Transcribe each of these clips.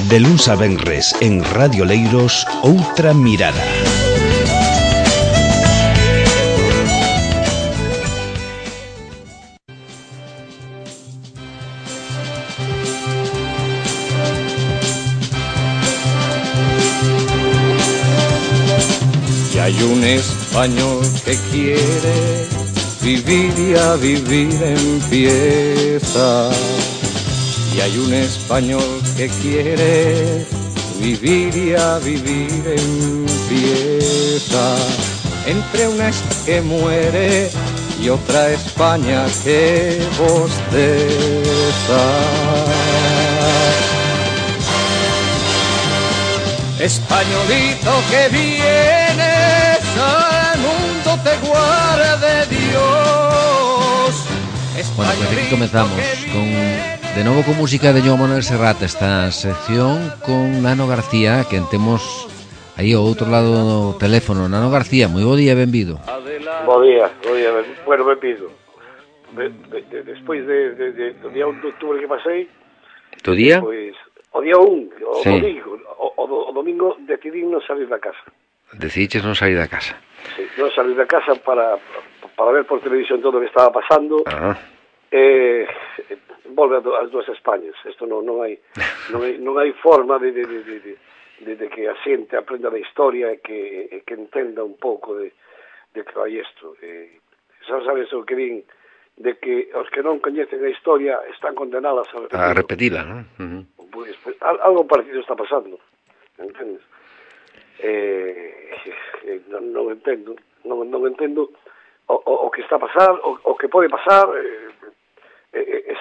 De luns a venres en Radio Leiros, Outra Mirada. Y hay un español que quiere vivir y a vivir empieza. Y hay un español que quiere vivir y a vivir empieza. Entre una que muere y otra España que bosteza. Españolito que vienes al mundo te guarde Dios. Bueno, pues aquí comenzamos de novo con música de Joan Manuel Serrat, esta sección con Nano García, que temos aí ao outro lado do teléfono. Nano García, moi bo día, benvido. Bo día, bueno, benvido. Despois do día 1 de outubro que pasei, Do día? Pois, o día 1, Sí. o domingo decidí non salir da casa. Decidiches non sair da casa. Sí, non salir da casa para ver por televisión todo o que estaba pasando. Ah. Volve as dúas Españas. Isto non hai forma de que a xente aprenda da historia e que entenda un pouco de que vai isto. Sabes o que din de que os que non coñecen a historia están condenadas A repetila, non? Pues, algo parecido está pasando, entendes? Non entendo o que está a pasar, o que pode pasar,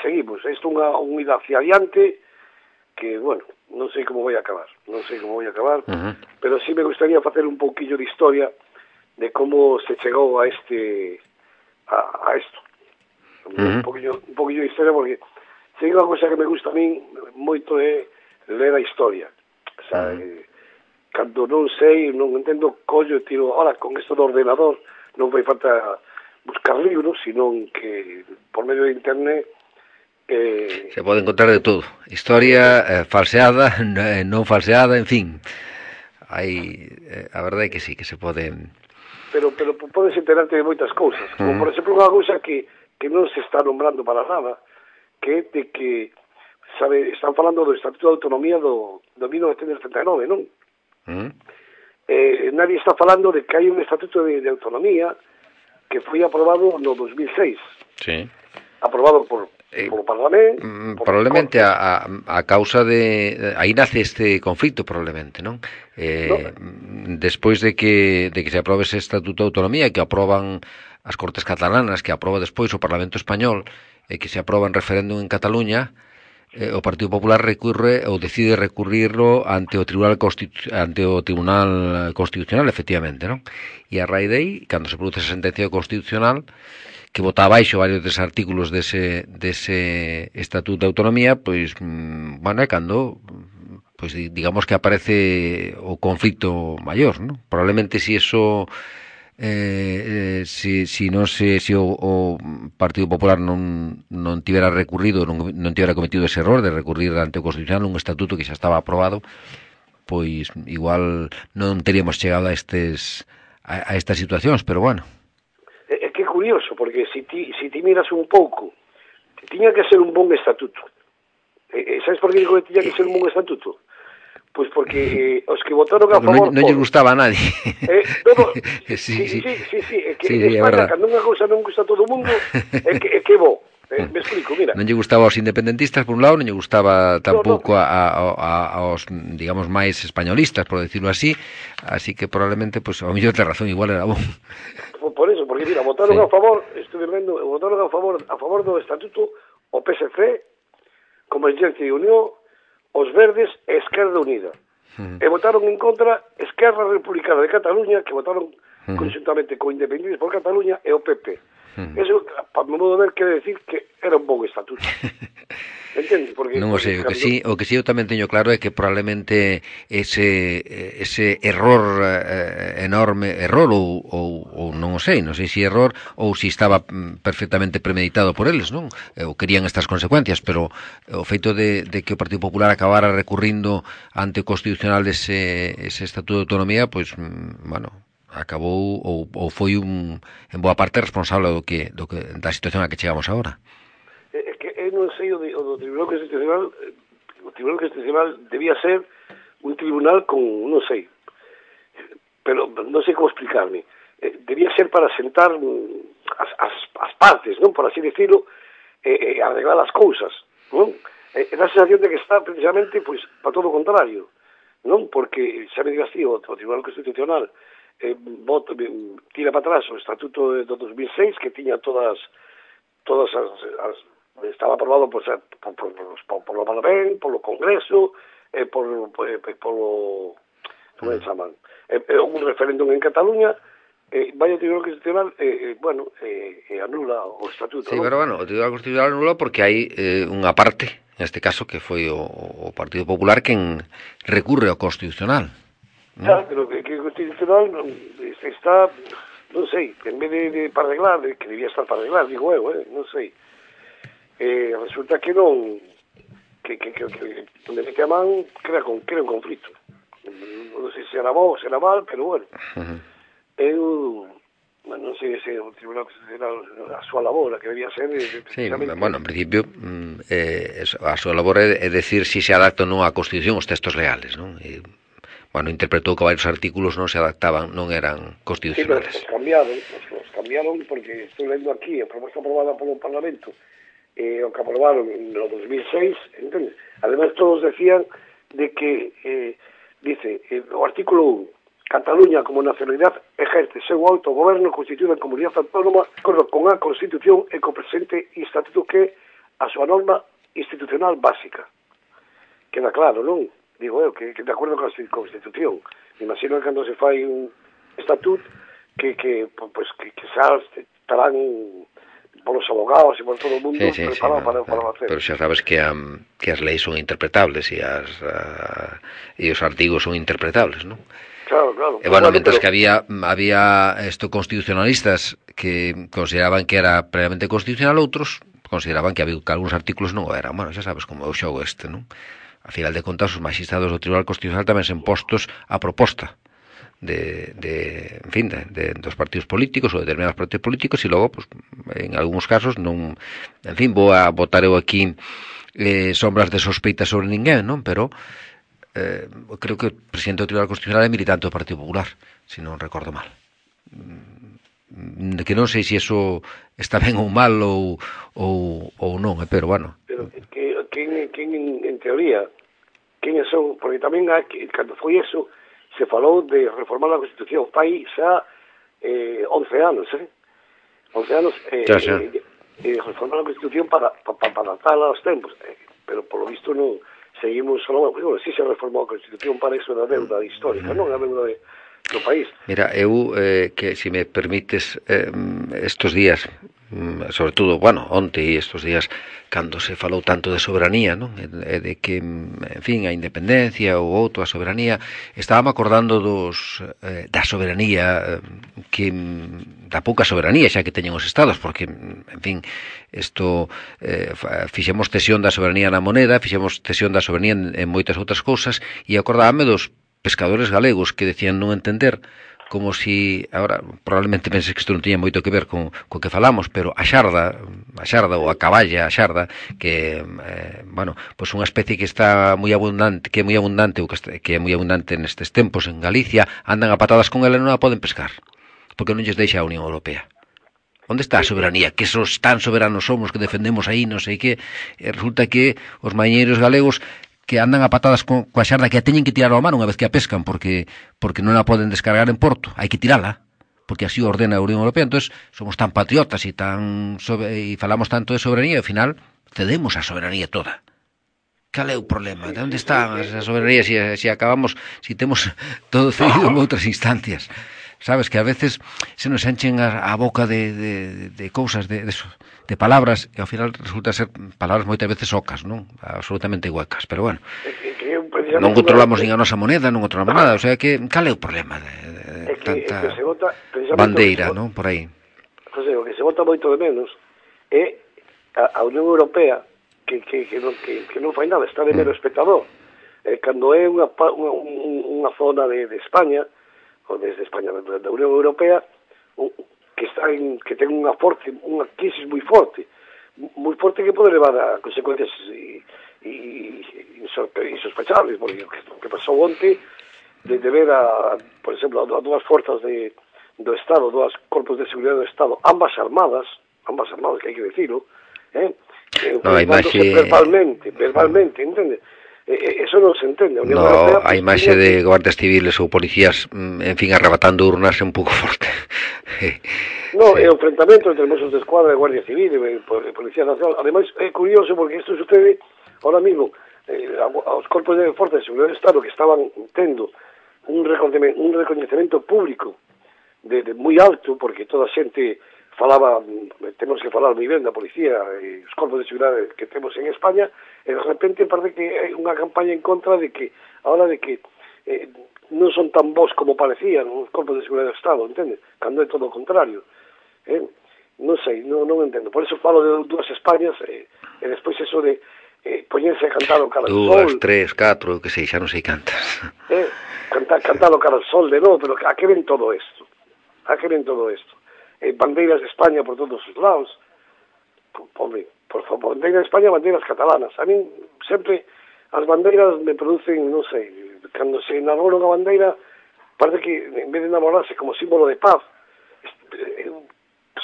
seguimos. Isto é unha ida hacia adiante que, bueno, non sei como vai acabar, pero sí me gustaría facer un pouquillo de historia de como se chegou a isto. Un poquillo de historia, porque sei unha cosa que me gusta a min moito é ler a historia. O sea, cando non sei, non entendo, collo e tiro, ahora, con isto do ordenador non vai falta buscar libros, senón que por medio de internet se pode encontrar de todo. Historia falseada, non falseada, en fin. Hai, a verdade é que sí, que se pode... Pero podes enterarte de moitas cousas. Como, por exemplo, unha cousa que non se está nombrando para nada, que é de que, sabe, están falando do Estatuto de Autonomía do 1939, non? Nadie está falando de que hai un Estatuto de Autonomía que foi aprobado no 2006. Sí. Aprobado polo Parlamento. Probablemente a causa de... Aí nace este conflito, probablemente, non? Despois de que se aprobe ese Estatuto de Autonomía, que aproban as Cortes Catalanas, que aproba despois o Parlamento Español, e que se aproba en referéndum en Cataluña, o Partido Popular recurre ou decide recurrirlo ante o Tribunal Constitucional, efectivamente, non? E a raíz de aí, cando se produce esa sentencia constitucional, que bota abaixo varios des artículos dese Estatuto de Autonomía, pois, bueno, é cando, pois, digamos que aparece o conflito maior, non? Probablemente si eso... si o Partido Popular non tivera recurrido, non tivera cometido ese error de recurrir ante o Constitucional un estatuto que xa estaba aprobado, pois igual non teríamos chegado a estas situacións, pero bueno. É que é curioso, porque si ti miras un pouco, tiña que ser un bon estatuto. Sabes por que digo que tiña que ser un bon estatuto? Pois porque os que votaron a favor... Non lle gustaba a nadie. Sí, é que España, cando unha cousa non gusta a todo o mundo, é que bo. Me explico, mira. Non lle gustaba aos independentistas, por un lado, non lle gustaba tampouco aos, digamos, máis españolistas, por decirlo así que probablemente, pues, ao mellor ten razón, igual era bon. Por eso, porque, mira, votaron a favor, estuve vendo, votaron a favor do estatuto o PSC, Convergencia e Unión, os Verdes e Esquerda Unida. E votaron en contra Esquerra Republicana de Cataluña, que votaron conjuntamente co Independientes por Cataluña e o PP. Eso, para mi modo de ver, quere decir que era un bon estatuto. Entende? Porque non o sei, o que sí eu tamén teño claro é que probablemente ese error enorme, ou non o sei se error ou se estaba perfectamente premeditado por eles, non? Ou querían estas consecuencias, pero o feito de que o Partido Popular acabara recurrindo ante o constitucional ese Estatuto de Autonomía, pois, bueno, acabou ou foi en boa parte responsable da situación a que chegamos agora. É que eu non sei o do Tribunal Constitucional. O Tribunal Constitucional debía ser un tribunal con, non sei, pero non sei como explicarme. Debía ser para sentar as partes, non, por así decirlo, arreglar as cousas, non? Dá a sensación de que está precisamente pois para todo o contrario, non? Porque xa me digas ti, o Tribunal Constitucional tira para atrás o Estatuto do 2006 que tiña todas as estaba aprobado por lo Parlamento, polo Congreso, polo como se chaman, un referéndum en Cataluña, vai o Tribunal Constitucional anula o Estatuto. Sí, ¿no? Pero bueno, o Tribunal Constitucional anula porque hai unha parte, neste caso, que foi o Partido Popular quen recurre ao Constitucional, ¿no? Claro, pero que o Constitucional está, non sei, en vez de para arreglar, que debía estar para arreglar, digo eu, non sei. Resulta que non que onde mete a man crea un conflito. Non sei se era bo ou se era mal, pero bueno. Eu non sei se o Tribunal Constitucional a súa labor, que debía ser sí, bueno, en principio a súa labor é decir se adapta ou non á Constitución os textos leales, non? Bueno, interpretou que varios artículos non se adaptaban, non eran constitucionales. Sí, pero os cambiaron porque estou lendo aquí a proposta aprobada polo Parlamento, o que aprobaron no 2006, entende? Además todos decían de que dice, o artículo 1, Cataluña como nacionalidad ejerce seu autogoberno constituída en comunidade autónoma con a Constitución e co presente estatuto que a súa norma institucional básica. Queda claro, non? Digo eu, que de acordo con a Constitución. Me imagino que cando se fai un estatuto que xa estarán polos abogados e por todo o mundo preparado para facer. Pero xa sabes que as leis son interpretables e os artigos son interpretables, non? Claro. E bueno, mientras que había constitucionalistas que consideraban que era plenamente constitucional, outros consideraban que algúns artículos non o eran. Bueno, xa sabes como é o xogo este, non? A final de contas, os magistrados do Tribunal Constitucional tamén sen postos a proposta dos partidos políticos ou de determinados partidos políticos e logo, pues, en algúns casos non, en fin, vou a botar eu aquí sombras de sospeita sobre ninguén, non? Pero creo que o presidente do Tribunal Constitucional é militante do Partido Popular, se non recordo mal. Que non sei se iso está ben ou mal ou non, pero bueno. Pero quen en teoría, quen son, porque tamén cando foi eso se falou de reformar a Constitución fai xa 11 anos, 11 anos reformar a Constitución para adaptarla aos tempos, pero polo visto non seguimos só, bueno, si se reformou a Constitución para eso da deuda histórica, non a deuda do país. Mira, eu que se me permites estos días, sobre todo, bueno, onte e estos días cando se falou tanto de soberanía, non? E de que, en fin, a independencia ou outro, a soberanía, estábamos acordando da soberanía da pouca soberanía xa que teñen os estados, porque, en fin, isto fixemos cesión da soberanía na moneda, fixemos cesión da soberanía en moitas outras cousas, e acordábame dos pescadores galegos que decían non entender como si, agora, probablemente penses que isto non tiña moito que ver con que falamos, pero a xarda ou a caballa, a xarda, que, bueno, pois unha especie que está moi abundante, que é moi abundante nestes tempos en Galicia, andan a patadas con ela e non a poden pescar, porque non lles deixa a Unión Europea. Onde está a soberanía? Que esos tan soberanos somos que defendemos aí, non sei que, resulta que os mañeiros galegos que andan a patadas coa xarda que a teñen que tirar ao mar unha vez que a pescan porque non a poden descargar en porto, hai que tirala porque así ordena a Unión Europea. Entonces somos tan patriotas e falamos tanto de soberanía e ao final cedemos a soberanía toda. Cal é o problema? De onde está a soberanía se acabamos, se temos todo cedido en outras instancias? sabes, que a veces se nos enchen a boca de cousas, de palabras, e ao final resulta ser palabras moitas veces ocas, non? Absolutamente huecas, pero bueno, non controlamos nin a nosa moneda, non controlamos nada, o sea que, cal é o problema de tanta bandeira, non, por aí? José, o que se vota moito de menos é a Unión Europea que non fai nada, está de mero espectador. Cando é unha zona de España, ou desde España, da Unión Europea, que ten unha crisis moi forte que pode levar a consecuencias insospechables, porque o que pasou onte de ver por exemplo, a dúas forzas do Estado, dúas corpos de seguridade do Estado, ambas armadas, que hai que decirlo, verbalmente, entende? Eso non se entende. A imaxe de guardias civiles ou policías, en fin, arrebatando urnas é un pouco forte. No, é o enfrentamento entre Mossos de Escuadra e Guardia Civil e Policía Nacional. Ademais, é curioso porque isto sucede ahora mismo aos corpos de Forza de Seguridade do Estado que estaban tendo un recoñecemento público de moi alto, porque toda a xente falaba, temos que falar moi ben da policía e os corpos de seguridade que temos en España, e de repente parece que hai unha campaña en contra de que non son tan bons como parecían os corpos de seguridade do Estado, entende? Cando é todo o contrario. Non sei, non entendo. Por eso falo de dúas Españas e despois eso de poñerse a cantar o cara al sol. 2, 3, 4, que sei, xa non sei cantas. Cantar o cara al sol de novo, pero a que ven todo isto? Bandeiras de España por todos os lados. Por favor, bandeiras de España, bandeiras catalanas. A mí sempre as bandeiras me producen, non sei, cando se enamora unha bandeira, parece que en vez de enamorarse como símbolo de paz,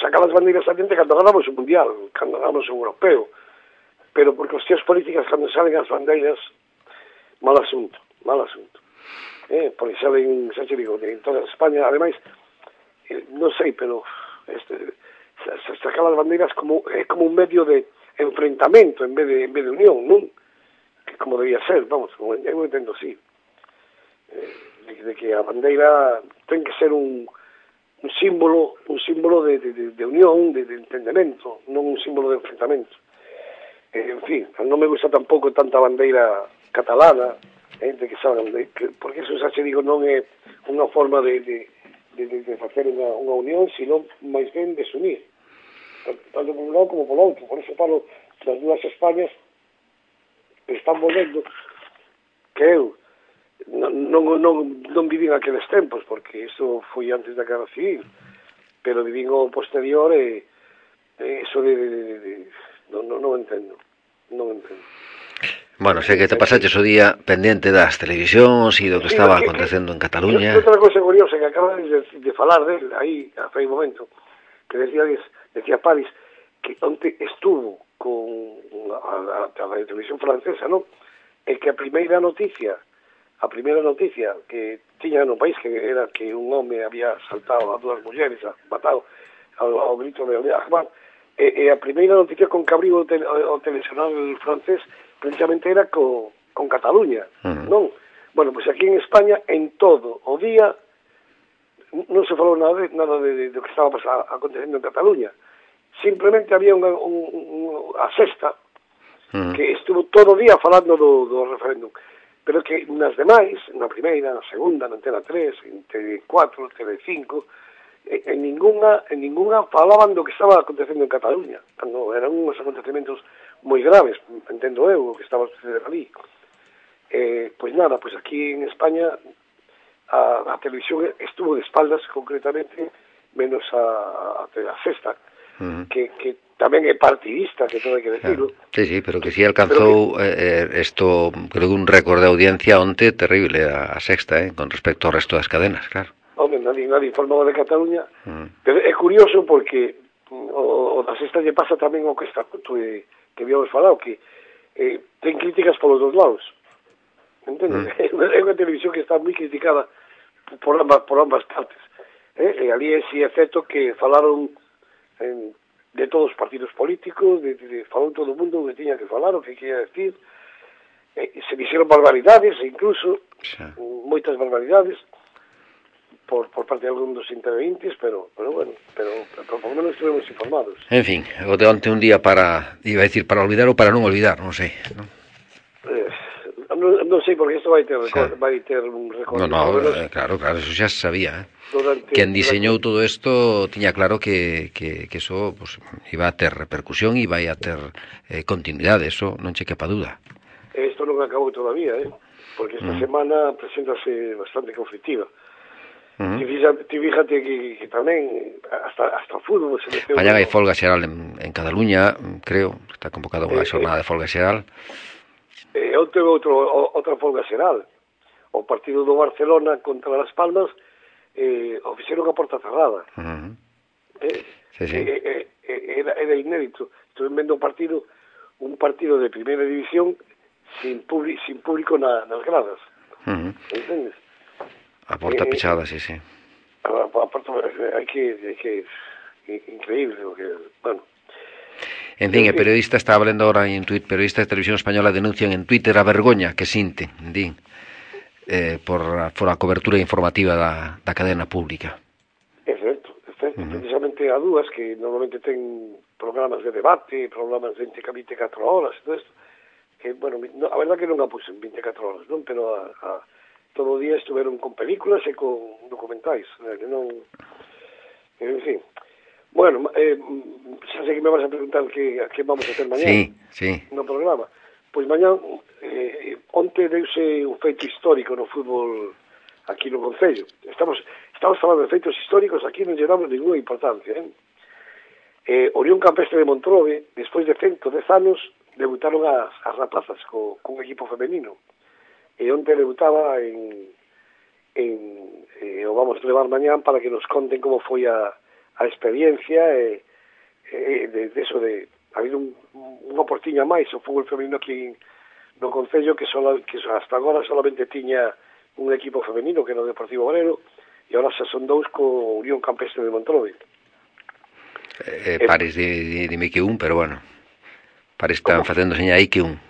sacar as bandeiras adiante cando ganamos o mundial, cando ganamos o europeo, pero por cuestións políticas cando salen as bandeiras, mal asunto. Porque salen, xa te digo, en toda España, ademais, non sei, pero sacar as bandeiras é como un medio de enfrentamento en vez de unión, non? Que como debía ser, vamos, eu entendo así. De que a bandeira ten que ser un símbolo de unión, de entendemento, non un símbolo de enfrentamento. En fin, non me gusta tampouco tanta bandeira catalana, de que salgan, porque eso xa se digo non é unha forma de facer unha unión, sino máis ben desunir, tanto por un lado como por outro. Por eso falo das dúas Españas que están volvendo, que eu non vivín aqueles tempos, porque iso foi antes da Guerra Civil, pero vivín o posterior e iso non entendo. Bueno, sei que te pasaches o día pendente das televisións e do que estaba acontecendo en Cataluña. Outra cosa curiosa que acabas de falar del aí, a un momento, que decía París, que onte estuvo con a televisión francesa, non? E que a primeira noticia que tiña no país, que era que un home había saltado a dúas mulleres, matado ao grito de Ahmad, e a primeira noticia con que abriu o telexornal francés precisamente era con Cataluña, non? Bueno, pois aquí en España, en todo o día, non se falou nada de do que estaba acontecendo en Cataluña. Simplemente había a Sexta, que estuvo todo o día falando do referéndum, pero que nas demais, na primeira, na segunda, na Antena 3, en TV4, TV5, en ninguna falaban do que estaba acontecendo en Cataluña, cando eran uns acontecementos moi graves, entendo eu, o que estaba sucedendo ali. Pois nada, pois aquí en España a televisión estuvo de espaldas, concretamente, menos a Sexta, que tamén é partidista, que todo hai que decirlo. Sí, pero que sí alcanzou isto, creo que un récord de audiencia onte terrible a Sexta, con respecto ao resto das cadenas, claro. Home, nadie informaba de Cataluña, pero é curioso porque o da Sexta lle pasa tamén o que está que habíamos falado, que ten críticas polos dos lados, entende? É unha televisión que está moi criticada por ambas partes, e ali sí é certo que falaron de todos os partidos políticos, falou todo o mundo o que tiña que falar, o que quería decir, se dixeron barbaridades, incluso moitas barbaridades, por parte de algún dos intervenientes, pero bueno, pero por lo menos estuvimos informados. En fin, o de onte un día para, iba a decir, para olvidar ou para non olvidar, non sei, non? Non sei, porque isto vai ter un recordo. Claro, eso xa se sabía, Quen diseñou todo isto tiña claro que eso pues, iba a ter repercusión e vai a ter continuidade, eso non che quepa duda. Isto non acabou todavía, porque esta semana preséntase bastante conflictiva. Ti fíjate que tamén hasta o fútbol se meteu. Mañá hai folga xeral en Cataluña, creo, está convocada unha xornada de folga xeral. Outra folga xeral. O partido do Barcelona contra Las Palmas o fixeron a porta cerrada. Sí. Era inédito. Estuve vendo un partido de primeira división sin público nas gradas. Entendes? A porta pechada, sí. A porta hai que increíble, porque, bueno. En fin, el periodista está hablando ahora en Twitter, periodistas de televisión española denuncian en Twitter a vergoña que sinten, din, por a cobertura informativa da cadena pública. É certo. Precisamente a dúas que normalmente ten programas de debate, programas de 24 horas, todo isto, que, bueno, a verdad que non a puxen 24 horas, non? Pero todo o día estuveron con películas e con documentais, que non... En fin. Bueno, xa sei que me vas a preguntar que vamos a hacer mañá no programa. Pois mañá, onte deuse un feito histórico no fútbol aquí no Concello. Estamos falando de feitos históricos, aquí non lle damos ninguna importancia. Orión Campestre de Montrobe, despois de 110 anos, debutaron as rapazas con equipo femenino. E onte debutaba o vamos a levar mañán para que nos conten como foi a experiencia de eso de haber unha portiña máis o fútbol femenino aquí no Concello que hasta agora solamente tiña un equipo femenino que era o Deportivo Obrero e agora xa son dous co Unión Campestre de Montrobe. Pares dime que pero bueno, pares están facendo seña aí que un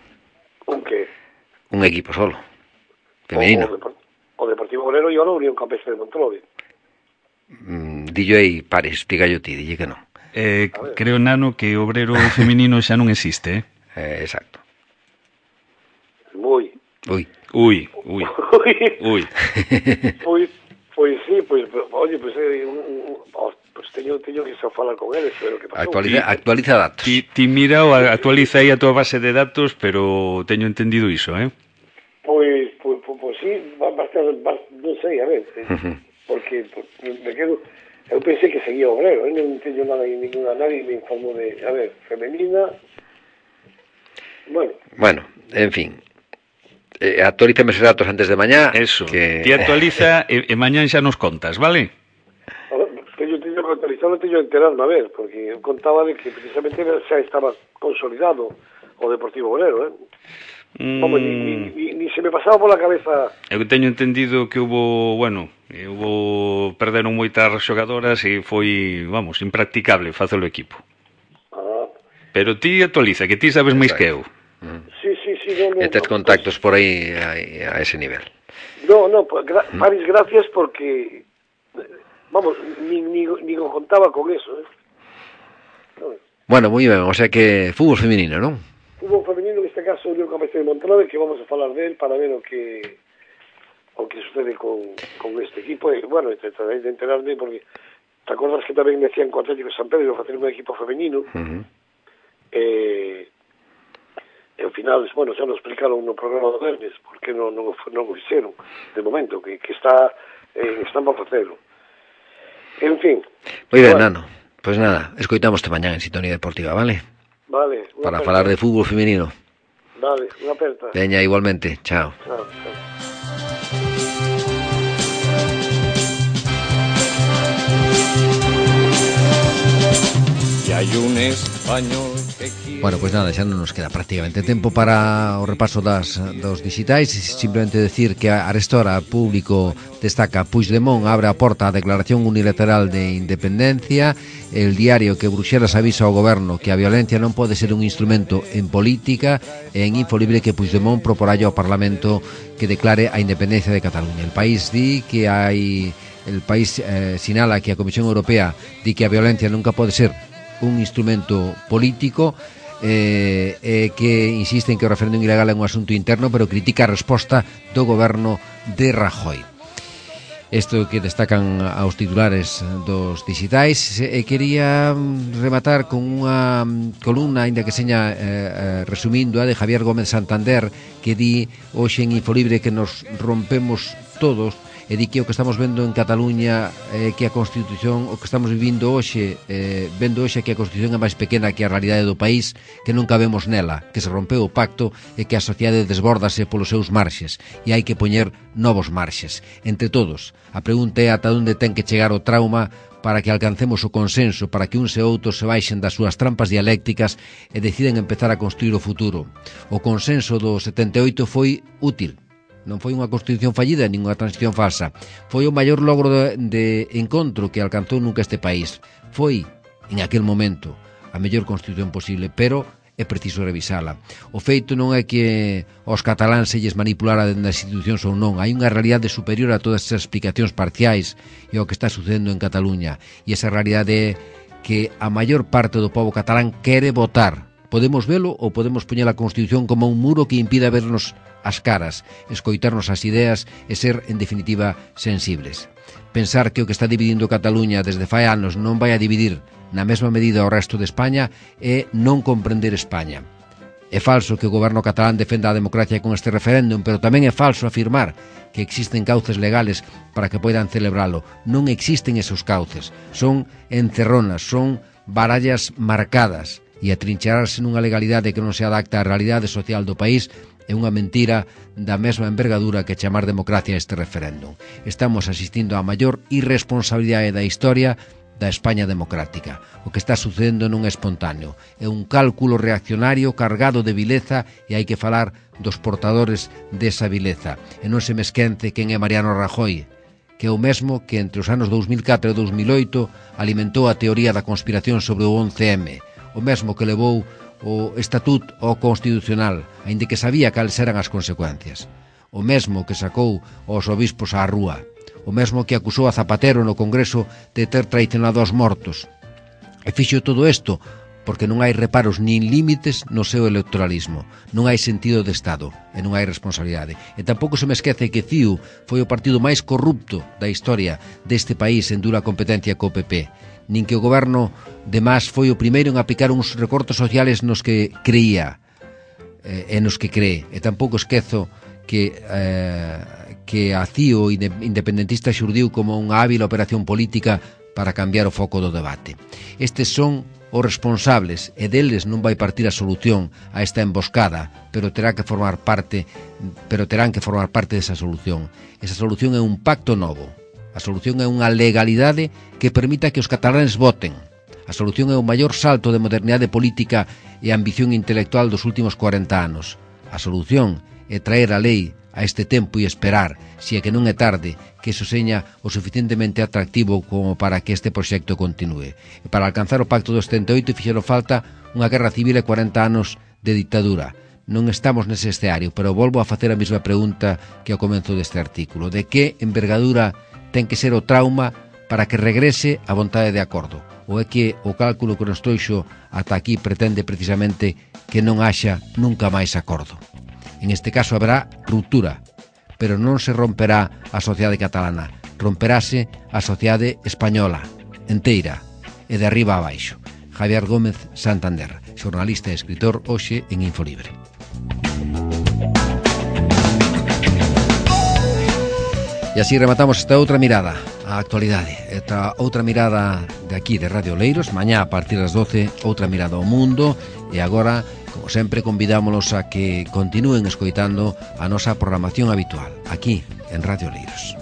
que? Un equipo solo femenino. O Deportivo Obrero e agora o Unión Campestre de Montrobe. Dillo aí, pares, dígallo ti, dille que non. Creo, Nano, que o obrero femenino xa non existe, Exacto. Ui. Pois sí, oye, teño que xa falar con eles, pero que pasou. Actualiza datos. Ti mira ou actualiza aí a tua base de datos, pero teño entendido iso, Pois sí, bastante, non sei, a ver, porque me quedo... Eu pensei que seguía Obrero, non teño nada en ninguna, nadie me informou de, a ver, femenina... Bueno, en fin, actualízame esos datos antes de mañá. Eso, ti actualiza e mañán xa nos contas, vale? Teño que actualizar, teño que enterarme, a ver, porque eu contaba de que precisamente xa estaba consolidado o Deportivo Obrero, Vamos, ni se me pasaba pola cabeza. Eu teño entendido que perderon moitas xogadoras e foi, impracticable facelo equipo. Pero ti actualiza, que ti sabes máis que eu. Sí, e tes contactos por aí a ese nivel. Paris, gracias porque ni contaba con eso, Bueno, moi ben, o sea que fútbol femenino, non? Fútbol femenino, en este caso, Unión Campestre de Montrobe, que vamos a falar de él para ver o que sucede con este equipo. E, bueno, trataré de enterarme, porque te acordas que tamén decían con Atlético de San Pedro facer un equipo femenino, e ao final, bueno, xa nos explicaron no programa do Vernes, porque non o fixeron, de momento, que están para facelo. En fin. Moi ben, Nano. Pois nada, escoitámoste mañán en Sintonía Deportiva, vale? Vale. Para falar de fútbol femenino. Vale, unha aperta. Veña, igualmente. Chao. Chao. Y hay un español que quiere... Bueno, pois nada, xa non nos queda prácticamente tempo para o repaso dos digitais. Simplemente decir que a arestora público destaca Puigdemont abre a porta á declaración unilateral de independencia. El Diario que Bruxelas avisa ao goberno que a violencia non pode ser un instrumento en política, e en Infolibre que Puigdemont proporá ao Parlamento que declare a independencia de Cataluña. El País di que hai el país sinala que a Comisión Europea di que a violencia nunca pode ser un instrumento político, que insiste en que o referéndum ilegal é un asunto interno, pero critica a resposta do goberno de Rajoy. Isto que destacan aos titulares dos digitais. Quería rematar con unha columna, ainda que seña resumindo, a de Javier Gómez Santander, que di hoxe en Infolibre que nos rompemos todos, e di que o que estamos vendo en Cataluña que a Constitución, o que estamos vivindo hoxe, vendo hoxe que a Constitución é máis pequena que a realidade do país, que nunca vemos nela, que se rompeu o pacto e que a sociedade desbórdase polos seus marxes e hai que poñer novos marxes. Entre todos, a pregunta é ata onde ten que chegar o trauma para que alcancemos o consenso, para que uns e outros se baixen das súas trampas dialécticas e deciden empezar a construir o futuro. O consenso do 78 foi útil. Non foi unha constitución fallida, nin unha transición falsa. Foi o maior logro de encontro que alcanzou nunca este país. Foi, en aquel momento, a mellor constitución posible, pero é preciso revisala. O feito non é que aos cataláns se lles manipulara dentro das institucións ou non. Hai unha realidade superior a todas esas explicacións parciais e ao que está sucedendo en Cataluña. E esa realidade é que a maior parte do pobo catalán quere votar. Podemos velo ou podemos poñer a Constitución como un muro que impida vernos as caras, escoitarnos as ideas e ser, en definitiva, sensibles. Pensar que o que está dividindo Cataluña desde fai anos non vai a dividir na mesma medida ao resto de España é non comprender España. É falso que o goberno catalán defenda a democracia con este referéndum, pero tamén é falso afirmar que existen cauces legales para que poidan celebralo. Non existen esos cauces. Son encerronas, son barallas marcadas, e atrincherarse nunha legalidade que non se adapta á realidade social do país é unha mentira da mesma envergadura que chamar democracia a este referéndum. Estamos asistindo á maior irresponsabilidade da historia da España democrática. O que está sucedendo non é espontáneo. É un cálculo reaccionario cargado de vileza e hai que falar dos portadores desa vileza. E non se me esquece quen é Mariano Rajoy, que é o mesmo que entre os anos 2004 e 2008 alimentou a teoría da conspiración sobre o 11M, o mesmo que levou o Estatuto ao Constitucional, aínda que sabía cales eran as consecuencias. O mesmo que sacou aos obispos á rúa. O mesmo que acusou a Zapatero no Congreso de ter traicionado aos mortos. E fixo todo isto porque non hai reparos nin límites no seu electoralismo. Non hai sentido de Estado e non hai responsabilidade. E tampouco se me esquece que CIU foi o partido máis corrupto da historia deste país en dura competencia co PP. Nin que o goberno de Mas foi o primeiro en aplicar uns recortes sociales nos que creía e nos que cree. E tampouco esquezo que a CIO independentista xurdiu como unha hábil operación política para cambiar o foco do debate. Estes son os responsables e deles non vai partir a solución a esta emboscada, pero terán que formar parte desa solución. Esa solución é un pacto novo. A solución é unha legalidade que permita que os catalanes voten. A solución é o maior salto de modernidade política e ambición intelectual dos últimos 40 anos. A solución é traer a lei a este tempo e esperar, se é que non é tarde, que eso seña o suficientemente atractivo como para que este proxecto continúe. E para alcanzar o pacto do 78 fixeron falta unha guerra civil e 40 anos de dictadura. Non estamos nese escenario, pero volvo a facer a mesma pregunta que ao comenzo deste artículo. De que envergadura ten que ser o trauma para que regrese a vontade de acordo? Ou é que o cálculo que nos trouxo ata aquí pretende precisamente que non haxa nunca máis acordo? En este caso haberá ruptura, pero non se romperá a sociedade catalana, romperase a sociedade española, enteira, e de arriba a baixo. Javier Gómez Santander, xornalista e escritor, hoxe en Infolibre. E así rematamos esta outra mirada á actualidade, esta outra mirada de aquí, de Radio Oleiros. Mañá a partir das 12, outra mirada ao mundo. E agora, como sempre, convidámonos a que continúen escoitando a nosa programación habitual aquí en Radio Oleiros.